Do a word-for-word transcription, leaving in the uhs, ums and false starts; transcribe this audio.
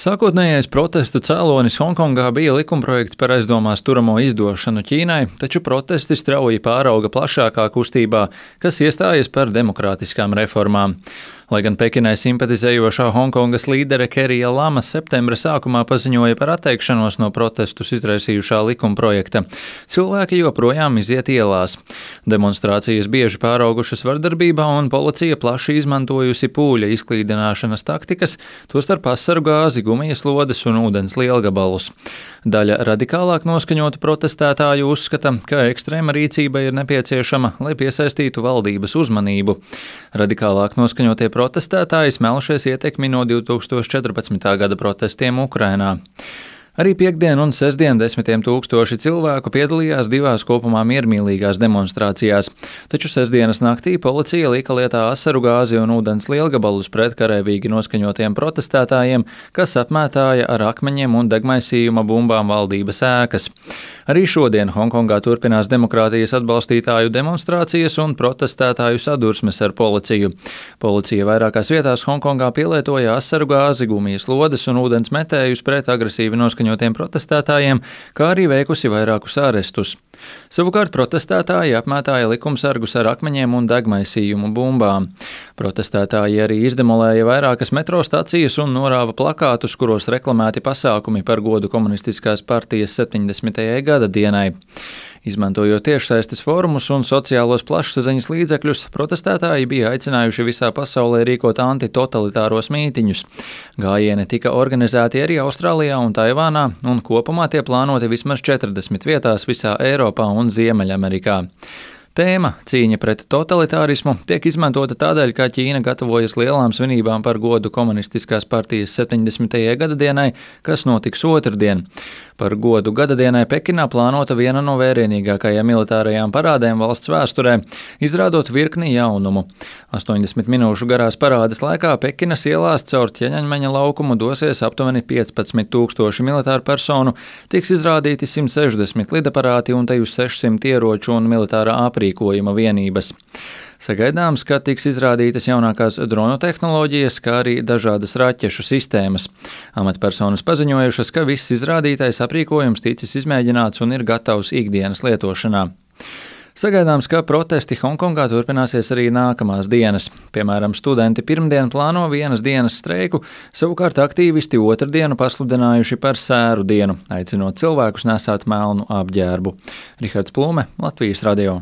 Sākotnējais protestu cēlonis Honkongā bija likumprojekts par aizdomās turamo izdošanu Ķīnai, taču protesti strauji pārauga plašākā kustībā, kas iestājas par demokrātiskām reformām. Lai gan Pekinai simpatizējošā Honkongas līdere Kerija Lama septembra sākumā paziņoja par atteikšanos no protestus izraisījušā likumprojekta, cilvēki joprojām iziet ielās. Demonstrācijas bieži pāraugušas vardarbībā un policija plaši izmantojusi pūļa izklīdināšanas taktikas, tostarp asaru gāzi, gumijas lodes un ūdens lielgabalus. Daļa radikālāk noskaņotu protestētāju uzskata, ka ekstrēma rīcība ir nepieciešama, lai piesaistītu valdības uzmanību. Radikālāk noskaņotie protestētāji smelšies ietekmi no divi tūkstoši četrpadsmitā gada protestiem Ukrainā. Arī piektdien un sestdien desmitiem tūkstoši cilvēku piedalījās divās kopumā miermīlīgās demonstrācijās, taču sestdienas naktī policija lika lietā asaru gāzi un ūdens lielgabalus pret karavīgi noskaņotiem protestētājiem, kas apmētāja ar akmeņiem un degmaisījuma bumbām valdības ēkas. Arī šodien Honkongā turpinās demokrātijas atbalstītāju demonstrācijas un protestētāju sadursmes ar policiju. Policija vairākās vietās Honkongā pielietoja asaru gāzi, gumijas lodes un ūdens metējus pret agresīvi noskaņotiem protestētājiem, kā arī veikusi vairākus arestus. Savukārt protestētāji apmētāja likumsargus ar akmeņiem un degmaisījumu bumbām. Protestētāji arī izdemolēja vairākas metro stacijas un norāva plakātus, kuros reklamēti pasākumi par godu komunistiskās partijas septiņdesmitajai gada dienai. Izmantojot tiešsaistes fórumus un sociālos plašsaziņas līdzekļus, protestētāji bija aicinājuši visā pasaulē rīkot antitotalitāros mītiņus. Gājieni tika organizēti arī Austrālijā un Taivānā, un kopumā tie plānoti vismaz četrdesmit vietās visā Eiropā un Ziemeļamerikā. Tēma cīņa pret totalitārismu tiek izmantota tādēļ, ka Ķīna gatavojas lielām svinībām par godu komunistiskās partijas septiņdesmitajai gada dienai, kas notiks otrdien. Par godu gadadienai Pekinā plānota viena no vērienīgākajām militārajām parādēm valsts vēsturē, izrādot virkni jaunumu. astoņdesmit minūšu garās parādes laikā Pekinas ielās caur Ķeņaņmeņa laukumu dosies aptuveni piecpadsmit tūkstoši militāru personu, tiks izrādīti simt sešdesmit lidaparāti un teju sešsimt ieroču un militārā aprīkojuma vienības. Sagaidāms, ka tiks izrādītas jaunākās dronu tehnoloģijas, kā arī dažādas raķešu sistēmas. Amatpersonas paziņojušas, ka viss izrādītais aprīkojums ticis izmēģināts un ir gatavs ikdienas lietošanā. Sagaidāms, ka protesti Honkongā turpināsies arī nākamās dienas. Piemēram, studenti pirmdien plāno vienas dienas streiku, savukārt aktīvisti otrdienu pasludinājuši par sēru dienu, aicinot cilvēkus nesāt melnu apģērbu. Rihards Plūme, Latvijas radio.